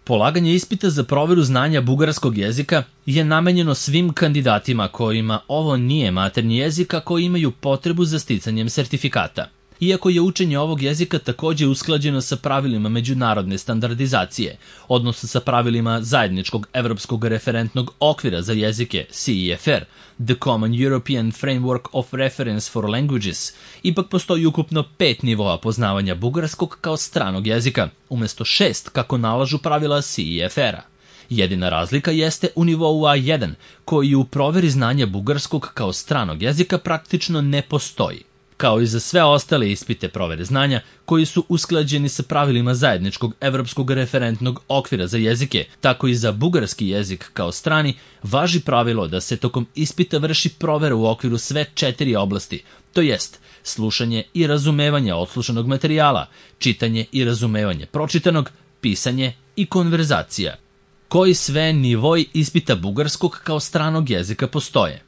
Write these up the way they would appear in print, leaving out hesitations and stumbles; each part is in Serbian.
Polaganje ispita za proveru znanja bugarskog jezika je namenjeno svim kandidatima kojima ovo nije maternji jezik, a koji imaju potrebu za sticanjem sertifikata. Iako je učenje ovog jezika takođe usklađeno sa pravilima međunarodne standardizacije, odnosno sa pravilima zajedničkog evropskog referentnog okvira za jezike CEFR, The Common European Framework of Reference for Languages, ipak postoji ukupno 5 nivoa poznavanja bugarskog kao stranog jezika, umesto 6 kako nalažu pravila CEFR-a. Jedina razlika jeste u nivou A1, koji u proveri znanja bugarskog kao stranog jezika praktično ne postoji. Kao i za sve ostale ispite provere znanja koji su usklađeni sa pravilima zajedničkog evropskog referentnog okvira za jezike, tako i za bugarski jezik kao strani, važi pravilo da se tokom ispita vrši provera u okviru sve 4 oblasti, to jest slušanje i razumevanje odslušanog materijala, čitanje i razumevanje pročitanog, pisanje i konverzacija. Koji sve nivoi ispita bugarskog kao stranog jezika postoje?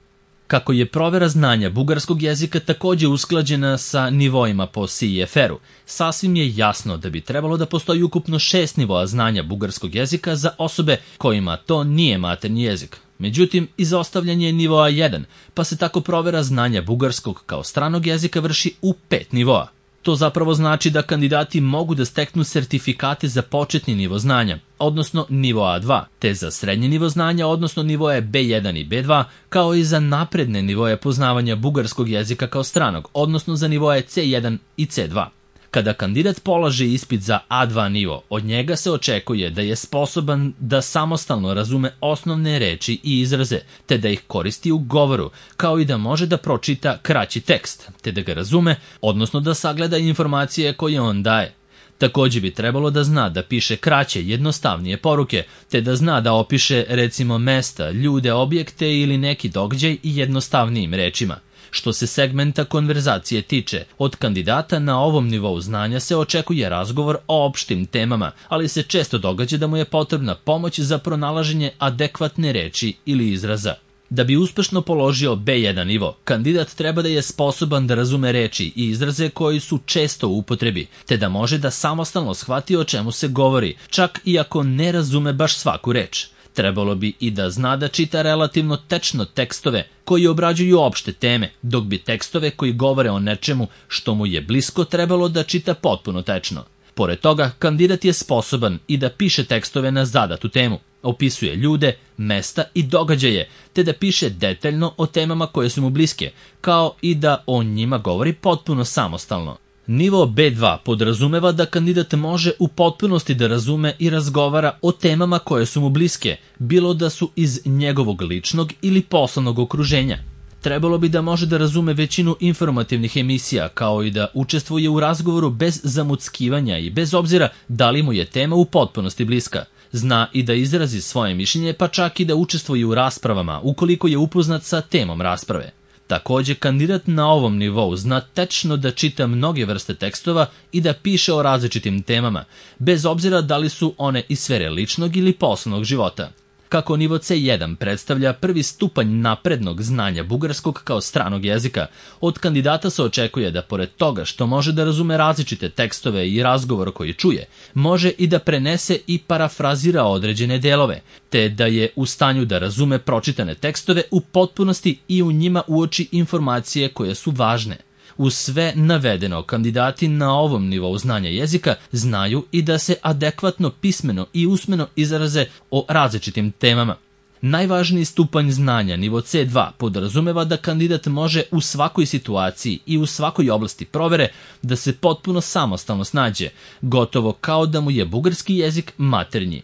Kako je provera znanja bugarskog jezika takođe usklađena sa nivoima po CEFR-u, sasvim je jasno da bi trebalo da postoji ukupno 6 nivoa znanja bugarskog jezika za osobe kojima to nije maternji jezik. Međutim, izostavljen je nivoa 1, pa se tako provera znanja bugarskog kao stranog jezika vrši u 5 nivoa. To zapravo znači da kandidati mogu da steknu sertifikate za početni nivo znanja, odnosno nivo A2, te za srednji nivo znanja, odnosno nivoje B1 i B2, kao i za napredne nivoje poznavanja bugarskog jezika kao stranog, odnosno za nivoje C1 i C2. Kada kandidat polaže ispit za A2 nivo, od njega se očekuje da je sposoban da samostalno razume osnovne reči i izraze, te da ih koristi u govoru, kao i da može da pročita kraći tekst, te da ga razume, odnosno da sagleda informacije koje on daje. Takođe bi trebalo da zna da piše kraće, jednostavnije poruke, te da zna da opiše recimo mesta, ljude, objekte ili neki događaj i jednostavnijim rečima. Što se segmenta konverzacije tiče, od kandidata na ovom nivou znanja se očekuje razgovor o opštim temama, ali se često događa da mu je potrebna pomoć za pronalaženje adekvatne reči ili izraza. Da bi uspešno položio B1 nivo, kandidat treba da je sposoban da razume reči i izraze koji su često u upotrebi, te da može da samostalno shvati o čemu se govori, čak i ako ne razume baš svaku reč. Trebalo bi i da zna da čita relativno tečno tekstove koji obrađuju opšte teme, dok bi tekstove koji govore o nečemu što mu je blisko trebalo da čita potpuno tečno. Pored toga, kandidat je sposoban i da piše tekstove na zadatu temu, opisuje ljude, mesta i događaje, te da piše detaljno o temama koje su mu bliske, kao i da o njima govori potpuno samostalno. Nivo B2 podrazumeva da kandidat može u potpunosti da razume i razgovara o temama koje su mu bliske, bilo da su iz njegovog ličnog ili poslovnog okruženja. Trebalo bi da može da razume većinu informativnih emisija, kao i da učestvuje u razgovoru bez zamuckivanja i bez obzira da li mu je tema u potpunosti bliska. Zna i da izrazi svoje mišljenje, pa čak i da učestvuje u raspravama, ukoliko je upoznat sa temom rasprave. Takođe, kandidat na ovom nivou zna tečno da čita mnoge vrste tekstova i da piše o različitim temama, bez obzira da li su one iz sfere ličnog ili poslovnog života. Kako nivo C1 predstavlja prvi stupanj naprednog znanja bugarskog kao stranog jezika, od kandidata se očekuje da pored toga što može da razume različite tekstove i razgovor koji čuje, može i da prenese i parafrazira određene delove, te da je u stanju da razume pročitane tekstove u potpunosti i u njima uoči informacije koje su važne. Uz sve navedeno, kandidati na ovom nivou znanja jezika znaju i da se adekvatno pismeno i usmeno izraze o različitim temama. Najvažniji stupanj znanja, nivo C2, podrazumeva da kandidat može u svakoj situaciji i u svakoj oblasti provere da se potpuno samostalno snađe, gotovo kao da mu je bugarski jezik maternji.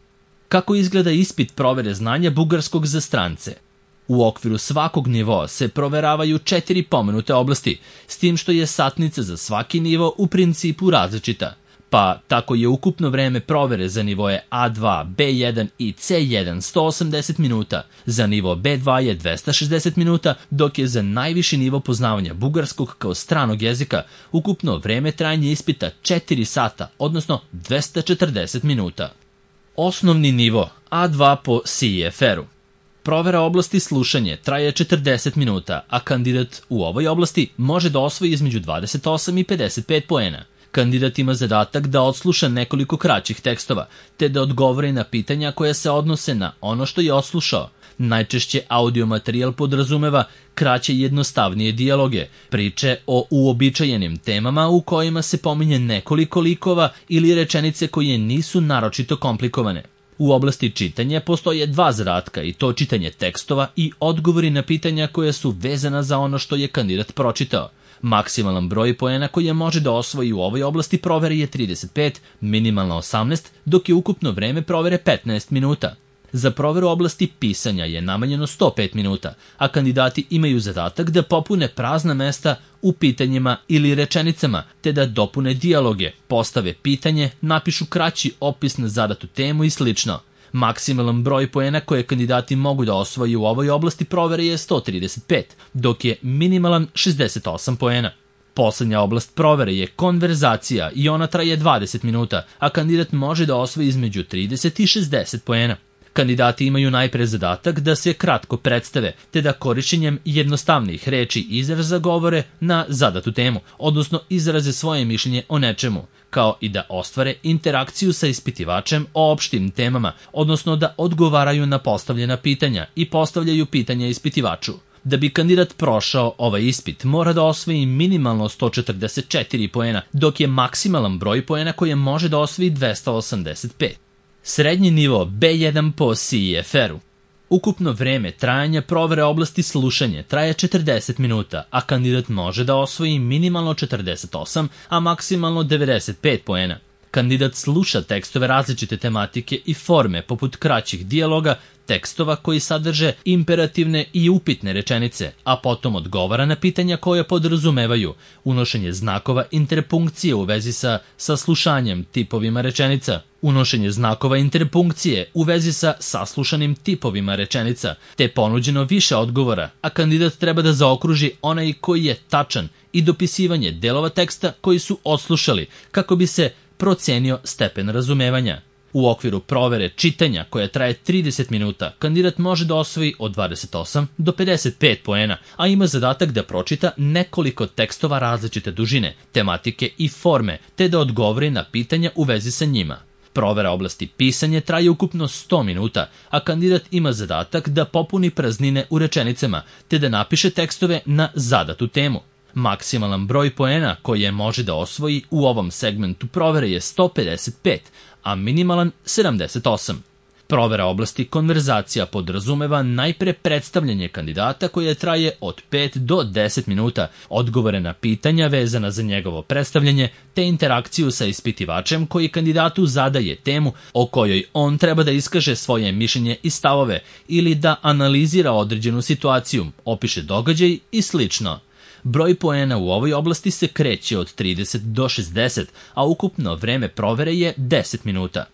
Kako izgleda ispit provere znanja bugarskog za strance? U okviru svakog nivoa se proveravaju 4 pomenute oblasti, s tim što je satnica za svaki nivo u principu različita. Pa tako je ukupno vreme provere za nivoje A2, B1 i C1 180 minuta, za nivo B2 je 260 minuta, dok je za najviši nivo poznavanja bugarskog kao stranog jezika ukupno vreme trajanja ispita 4 sata, odnosno 240 minuta. Osnovni nivo A2 po CEFR-u. Provera oblasti slušanje traje 40 minuta, a kandidat u ovoj oblasti može da osvoji između 28 i 55 poena. Kandidat ima zadatak da odsluša nekoliko kraćih tekstova, te da odgovori na pitanja koja se odnose na ono što je odslušao. Najčešće audio materijal podrazumeva kraće i jednostavnije dijaloge, priče o uobičajenim temama u kojima se pominje nekoliko likova ili rečenice koje nisu naročito komplikovane. U oblasti čitanja postoje dva zadatka, i to čitanje tekstova i odgovori na pitanja koja su vezana za ono što je kandidat pročitao. Maksimalan broj poena koje može da osvoji u ovoj oblasti provere je 35, minimalno 18, dok je ukupno vreme provere 15 minuta. Za proveru oblasti pisanja je namenjeno 105 minuta, a kandidati imaju zadatak da popune prazna mesta u pitanjima ili rečenicama, te da dopune dijaloge, postave pitanje, napišu kraći opis na zadatu temu i sl. Maksimalan broj poena koje kandidati mogu da osvoji u ovoj oblasti provere je 135, dok je minimalan 68 poena. Poslednja oblast provere je konverzacija i ona traje 20 minuta, a kandidat može da osvoji između 30 i 60 poena. Kandidati imaju najpre zadatak da se kratko predstave, te da korišćenjem jednostavnih reči i izraza govore na zadatu temu, odnosno izraze svoje mišljenje o nečemu, kao i da ostvare interakciju sa ispitivačem o opštim temama, odnosno da odgovaraju na postavljena pitanja i postavljaju pitanja ispitivaču. Da bi kandidat prošao ovaj ispit, mora da osvoji minimalno 144 poena, dok je maksimalan broj poena koje može da osvoji 285. Srednji nivo B1 po CEFR-u. Ukupno vreme trajanja provere oblasti slušanje traje 40 minuta, a kandidat može da osvoji minimalno 48, a maksimalno 95 poena. Kandidat sluša tekstove različite tematike i forme, poput kraćih dijaloga, tekstova koji sadrže imperativne i upitne rečenice, a potom odgovara na pitanja koje podrazumevaju unošenje znakova interpunkcije u vezi sa saslušanjem tipovima rečenica, unošenje znakova interpunkcije u vezi sa saslušanim tipovima rečenica, te ponuđeno više odgovora, a kandidat treba da zaokruži onaj koji je tačan i dopisivanje delova teksta koji su odslušali, kako bi se procenio stepen razumevanja. U okviru provere čitanja, koja traje 30 minuta, kandidat može da osvoji od 28 do 55 poena, a ima zadatak da pročita nekoliko tekstova različite dužine, tematike i forme, te da odgovori na pitanja u vezi sa njima. Provera oblasti pisanje traje ukupno 100 minuta, a kandidat ima zadatak da popuni praznine u rečenicama, te da napiše tekstove na zadatu temu. Maksimalan broj poena koje može da osvoji u ovom segmentu provere je 155, a minimalan 78. Provera oblasti konverzacija podrazumeva najpre predstavljanje kandidata koje traje od 5 do 10 minuta, odgovore na pitanja vezana za njegovo predstavljanje, te interakciju sa ispitivačem koji kandidatu zadaje temu o kojoj on treba da iskaže svoje mišljenje i stavove ili da analizira određenu situaciju, opiše događaj i slično. Broj poena u ovoj oblasti se kreće od 30 do 60, a ukupno vreme provere je 10 minuta.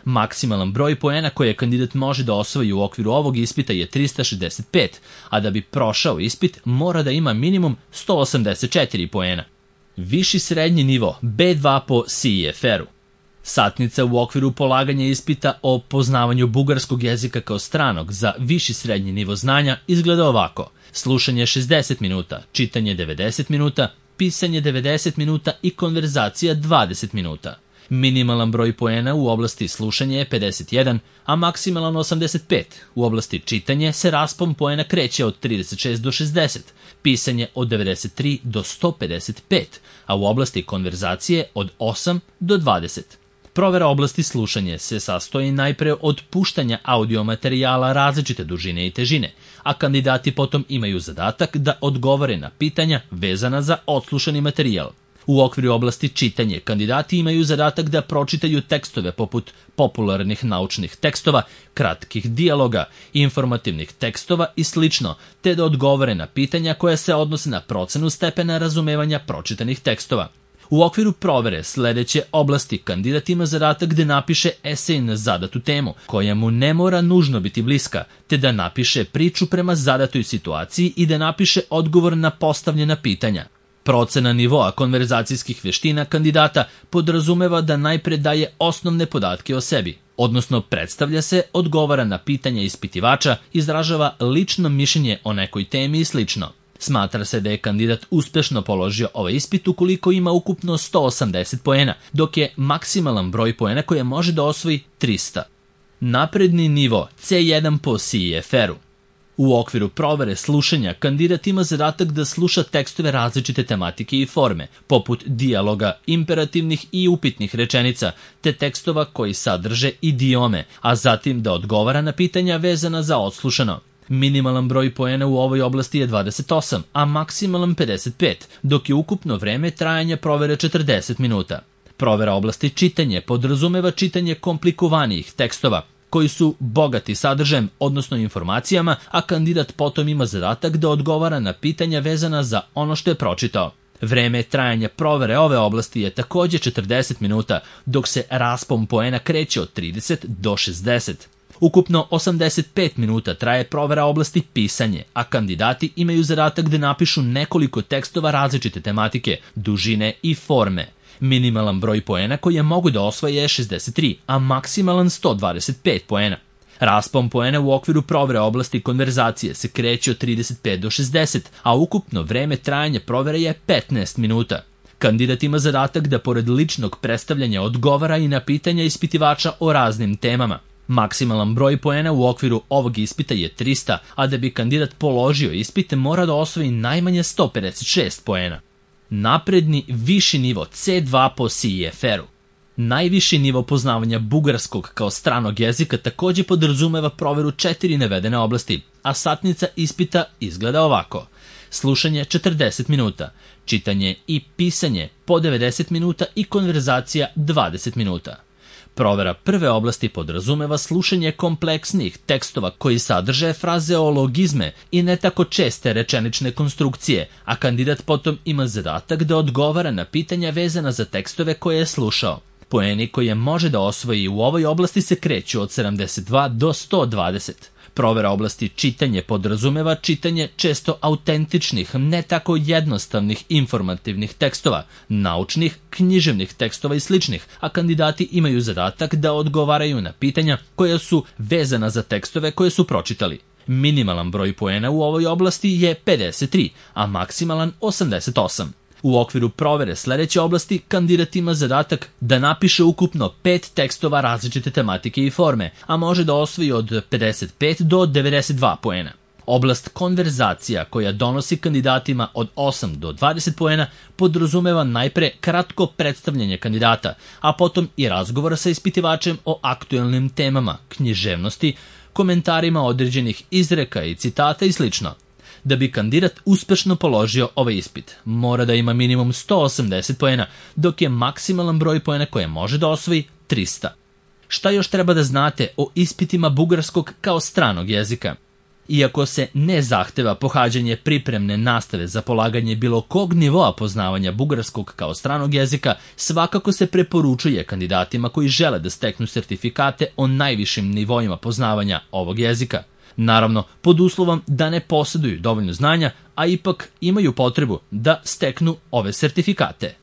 Maksimalan broj poena koje kandidat može da osvoji u okviru ovog ispita je 365, a da bi prošao ispit mora da ima minimum 184 poena. Viši srednji nivo B2 po CEFR-u. Satnica u okviru polaganja ispita o poznavanju bugarskog jezika kao stranog za viši srednji nivo znanja izgleda ovako: slušanje 60 minuta, čitanje 90 minuta, pisanje 90 minuta i konverzacija 20 minuta. Minimalan broj poena u oblasti slušanja je 51, a maksimalan 85. U oblasti čitanje se raspon poena kreće od 36 do 60, pisanje od 93 do 155, a u oblasti konverzacije od 8 do 20. Provera oblasti slušanja se sastoji najpre od puštanja audio materijala različite dužine i težine, a kandidati potom imaju zadatak da odgovore na pitanja vezana za odslušani materijal. U okviru oblasti čitanje kandidati imaju zadatak da pročitaju tekstove poput popularnih naučnih tekstova, kratkih dijaloga, informativnih tekstova i sl., te da odgovore na pitanja koja se odnose na procenu stepena razumevanja pročitanih tekstova. U okviru provere sledeće oblasti kandidat ima zadatak da napiše esej na zadatu temu, koja mu ne mora nužno biti bliska, te da napiše priču prema zadatoj situaciji i da napiše odgovor na postavljena pitanja. Procena nivoa konverzacijskih veština kandidata podrazumeva da najpre daje osnovne podatke o sebi, odnosno predstavlja se, odgovara na pitanja ispitivača, izražava lično mišljenje o nekoj temi i sl. Smatra se da je kandidat uspešno položio ovaj ispit ukoliko ima ukupno 180 poena, dok je maksimalan broj poena koje može da osvoji 300. Napredni nivo C1 po CEFR-u. U okviru provere slušanja, kandidat ima zadatak da sluša tekstove različite tematike i forme, poput dijaloga, imperativnih i upitnih rečenica, te tekstova koji sadrže idiome, a zatim da odgovara na pitanja vezana za odslušano. Minimalan broj poena u ovoj oblasti je 28, a maksimalan 55, dok je ukupno vreme trajanja provere 40 minuta. Provera oblasti čitanje podrazumeva čitanje komplikovanijih tekstova, koji su bogati sadržajem, odnosno informacijama, a kandidat potom ima zadatak da odgovara na pitanja vezana za ono što je pročitao. Vreme trajanja provere ove oblasti je takođe 40 minuta, dok se raspon poena kreće od 30 do 60. Ukupno 85 minuta traje provera oblasti pisanje, a kandidati imaju zadatak da napišu nekoliko tekstova različite tematike, dužine i forme. Minimalan broj poena koje mogu da osvoje je 63, a maksimalan 125 poena. Raspon poena u okviru provere oblasti konverzacije se kreće od 35 do 60, a ukupno vreme trajanja provere je 15 minuta. Kandidat ima zadatak da pored ličnog predstavljanja odgovara i na pitanja ispitivača o raznim temama. Maksimalan broj poena u okviru ovog ispita je 300, a da bi kandidat položio ispit mora da osvoji najmanje 156 poena. Napredni viši nivo C2 po CEFR-u. Najviši nivo poznavanja bugarskog kao stranog jezika takođe podrazumeva proveru 4 navedene oblasti, a satnica ispita izgleda ovako. Slušanje 40 minuta, čitanje i pisanje po 90 minuta i konverzacija 20 minuta. Provera prve oblasti podrazumeva slušanje kompleksnih tekstova koji sadrže frazeologizme i ne tako česte rečenične konstrukcije, a kandidat potom ima zadatak da odgovara na pitanja vezana za tekstove koje je slušao. Poeni koje može da osvoji u ovoj oblasti se kreću od 72 do 120. Provera oblasti čitanje podrazumeva čitanje često autentičnih, ne tako jednostavnih informativnih tekstova, naučnih, književnih tekstova i sličnih, a kandidati imaju zadatak da odgovaraju na pitanja koja su vezana za tekstove koje su pročitali. Minimalan broj poena u ovoj oblasti je 53, a maksimalan 88. U okviru provere sledeće oblasti kandidat ima zadatak da napiše ukupno 5 tekstova različite tematike i forme, a može da osvoji od 55 do 92 poena. Oblast konverzacija koja donosi kandidatima od 8 do 20 poena podrazumeva najpre kratko predstavljanje kandidata, a potom i razgovor sa ispitivačem o aktuelnim temama, književnosti, komentarima određenih izreka i citata i slično. Da bi kandidat uspešno položio ovaj ispit, mora da ima minimum 180 poena, dok je maksimalan broj poena koje može da osvoji 300. Šta još treba da znate o ispitima bugarskog kao stranog jezika? Iako se ne zahteva pohađanje pripremne nastave za polaganje bilo kog nivoa poznavanja bugarskog kao stranog jezika, svakako se preporučuje kandidatima koji žele da steknu sertifikate o najvišim nivoima poznavanja ovog jezika. Naravno, pod uslovom da ne posjeduju dovoljno znanja, a ipak imaju potrebu da steknu ove sertifikate.